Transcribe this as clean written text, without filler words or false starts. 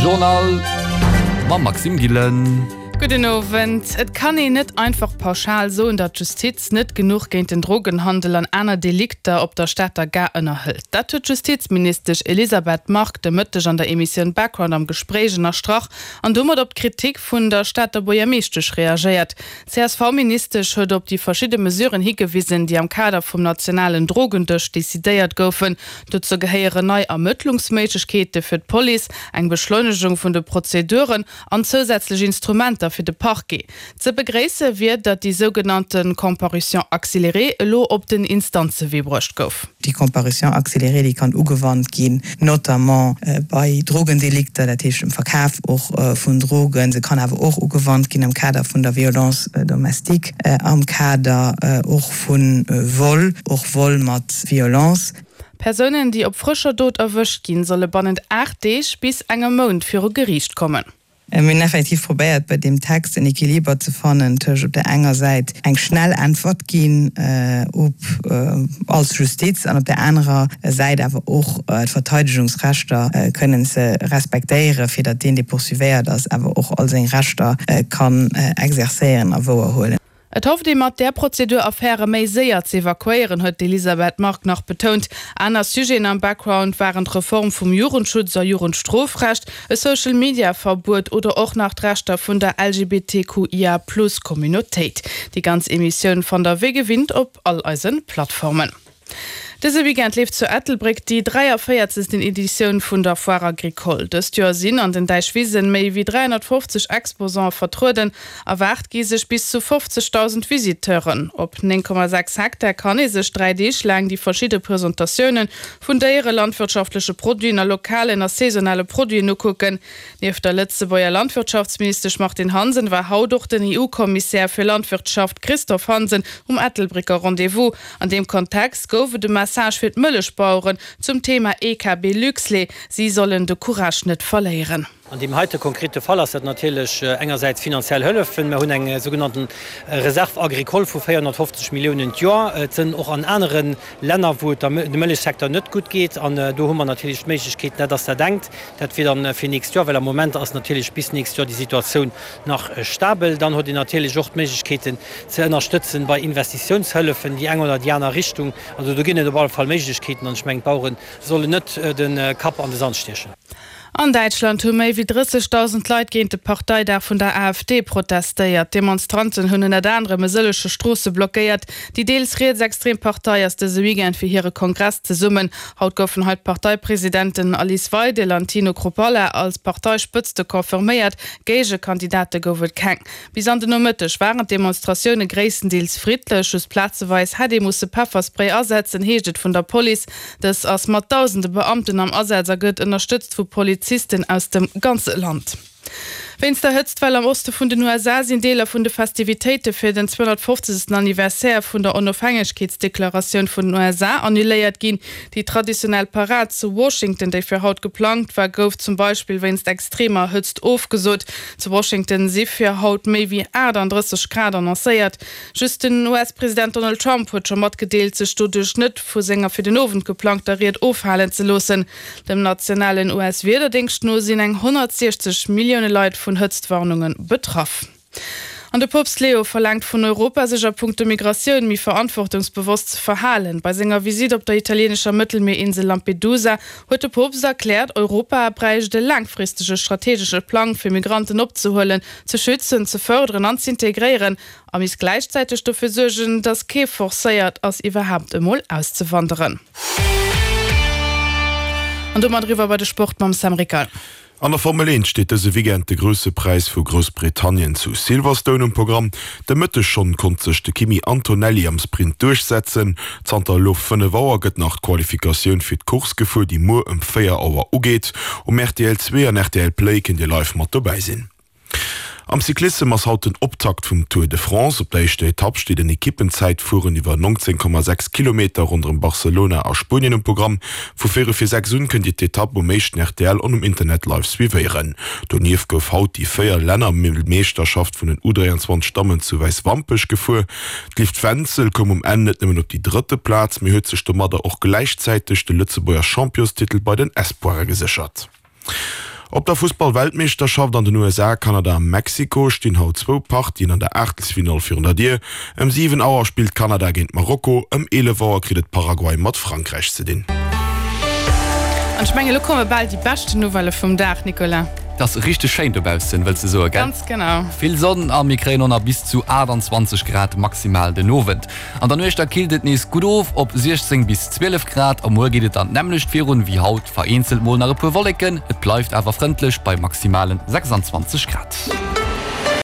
Journal mam Maxime Gillen. Gudden Owend. Et kann een net einfach pauschal soen, datt d'Justiz net genuch géint den Drogenhandel an aner Delikter op der Stater Gare ënnerhëlt. Dat huet d'Justizministesch Elisabeth Margue de Mëtteg an der Emissioun Background am Gespréich ënnerstrach an domat op d'Kritik vun der Stater Buergermeeschtesch reagéiert. D'CSV-Ministesch huet op déi verschidde Mesuren higewisen, déi am Kader vum nationalen Drogendësch decidéiert goufen. Dozou gehéieren nei Ermëttlungsméiglechkeete fir d'Police, eng Beschleunegung vun de Prozeduren an zousätzlech Instrumenter fir de Parquet. Ze begréisse wier, datt déi sougenannte Comparution accélérée elo op den Instanzewee bruecht gouf. Déi Comparution accélérée, déi kann ugewannt ginn, notamment bei Drogendelikter, dat heescht dem Verkaf och vun Drogen. Se kann awer och ugewannt ginn am Kader vun der Violence domestique, am Kader och vu Vol, och Vol mat Violence. Persounen, déi op frëscher Dot erwëscht ginn, solle bannent 8 Deeg bis engem Mount viru Geriicht kommen. Mir hunn effektiv probéiert, bei deem Text en Equiliber ze fannen tëscht op där enger Säit eng schnell Äntwert ginn op als Justiz an op där anerer Säit awer och d'Verteidegungsrechter kënnen ze respektéieren, fir datt deen, dee poursuivéiert ass, awer och all seng Rechter kann exercéieren a wouerhuelen. Et hofft ee mat där Prozedur Affäre méi séier z'evakuéieren, huet d'Elisabeth Margue nach betount. Aner Sujeten am Background waren d'Reform vum Jugendschutz a Jugendstrofrecht, e Social-Media-Verbuet oder och nach d'Rechter vun der LGBTQIA-Plus-Communautéit. Déi ganz Emissioun fannt der wéi gewinnt op all eise Plattformen. Dëse Weekend leeft zu Ettelbréck déi 43. Editioun vun der Foire Agricole. Dëst Joer sinn an den Däichwisen méi wéi 350 Exposante vertrueden. Erwaart gi sech bis zu 50.000 Visiteuren. Op 9,6 Hektar kann ee sech 3 Deeg laang déi verschidde Presentatioune vun Déiere, landwirtschaftleche Produiten a lokalen a saisonale Produiten ukucken. Nieft der Lëtzebuerger Landwirtschaftsministesch Martine Hansen war haut och den EU-Kommissär fir Landwirtschaft Christophe Hansen um Ettelbrécker Rendez-vous. An deem Kontext gouf et e Message fir d'Mëllechbaueren zum Thema EKB Luxlait, Si sollen de Courage net verléieren. An deem heite konkrete Fall ass dat natierlech engersäits finanziell Hëllefen. Mer hunn eng sougenannten Réserve agricole vu 450 Milliounen d'Joer. Et sënn och an anere Länner, wou et dem Mëllechsecteur net gutt geet. An do hu mer natierlech d'Méiglechkeeten, dat ass dat engt, dat wier dann fir nächst Joer, well am Moment ass natierlech bis nächst Joer déi Situatioun nach stabel. Dann huet een natierlech och d'Méiglechkeeten ze ënnerstëtzen bei Investitiounshëllefen, déi eng oder déi aner Richtung. Also do ginn et op alle Fall Méiglechkeeten an ech mengen, d'Bauere sollen net de Kapp an de Sand stiechen. An Däitschland hu méi wéi 30.000 Leit géint de Parteidag vun der AfD protestéiert. D'Demonstranten hunn ënnert anerem e sëllege Stroosse blockéiert. Déi deels rietsextrem Partei ass dëse Weekend fir hire Kongress zesummen. Haut goufen hei d'Parteipresidenten Alice Weidel an Tino Chrupalla als Parteispëtzte confirméiert. Géigekandidate gouf et keng. Bis an den Nomëtteg waren d'Demonstratioune gréisstendeels friddlech, just plazeweis hätt ee musse Pefferspray asetzen, heescht et vun der Police. Dës ass mat dausende Beamten am Asaz a gëtt ënnerstëtzt vu Polizisten aus dem ganze Land. Wéinst der Hëtztwell am Oste vun den USA sinn Deeler vun de Festivitéite fir den 250. Anniversaire vun der Onofhängegkeetsdeklaratioun vun den USA annuléiert ginn. Déi traditionell Parad zu Washington, déi fir haut geplangt war, gouf zum Beispill wéinst extremer Hëtzt ofgesot. Zu Washington si fir haut méi wéi 38 Grad annoncéiert. Just den US-President Donald Trump huet scho matgedeelt, sech doduerch net vu senger fir den Owend geplangter Ried ofhalen ze loossen. Dem nationalen US-Wiederdéngscht no sinn eng 160 Millioune Leit vun Hëtztwarnunge betraff. An de Poopst Leo verlaangt vun Europa, sech a punkto Migratioun méi verantwortungsbewosst ze verhalen. Bei senger Visitt op der italieenescher Mëttelmierinsel Lampedusa huet de Poopst erkläert, Europa bräicht e laangfristege strategesche Plang, fir Migranten opzehuelen, ze schützen, ze fërderen an z'integréieren a misst gläichzäiteg dofir suergen, datt kee forcéiert ass, iwwerhaapt emol auszewanderen. An domat eriwwer bei de Sport mam Sam Rickal. An der Formel 1 steet dëse Weekend de Grousse Präis vu Groussbritannien zu Silverstone um Programm. De Mëtteg schonn konnt sech de Kimi Antonelli am Sprint duerchsetzen. Zanter elo 5 Auer gëtt nach d'Qualifikatioun fir d'Course gefuer, déi muer ëm 4 Auer ugeet. Um rtl 2 an rtl Play kënnt Dir live mat dobäi sinn. Am Cyclissem ass haut den Optakt vum Tour de France. Op der éischter Etapp steet en Ekippenzäitfueren iwwer 19,6 Kilometer ronderëm Barcelona a Spuenien um Programm. Vu véierel vir 6 un kënnt Dir d'Etapp um éischten rtl an um Internet live suivéieren. Donieft gouf haut déi 4 Lännermeeschterschaft vun den U23 Dammen zu Wäiswampech gefuer. D'Liv Wenzel koum um Enn net nëmmen op déi drëtte Plaz, mee huet sech domadder och gläichzäiteg de Lëtzebuerger Championstitel bei den Espoire geséchert. Op der Fussball-Weltmeeschterschaft an den USA, Kanada a Mexiko stinn haut zwou Partien an der Aachtelsfinall virun der Dier. Ëm 7 Auer spillt Kanada géint Marokko, ëm 11 Auer kritt et Paraguay mat Frankräich ze dinn. An ech mengen, elo komme bal déi beschten Nouvellë vum Dag, Nicolas. Et ass richteg schéin dobaussen, wëlls de soen, gell? Ganz genau. Vill Sonn a mir kréien och nach bis zu 28 Grad maximal den Owend. An der Nuecht da killt et nees gutt of op 16 bis 12 Grad a muer geet et dann d'nämmlecht virun wéi haut, vereenzelt mol nach e puer Wolleken, et bleift awer frëndlech bei maximalen 26 Grad.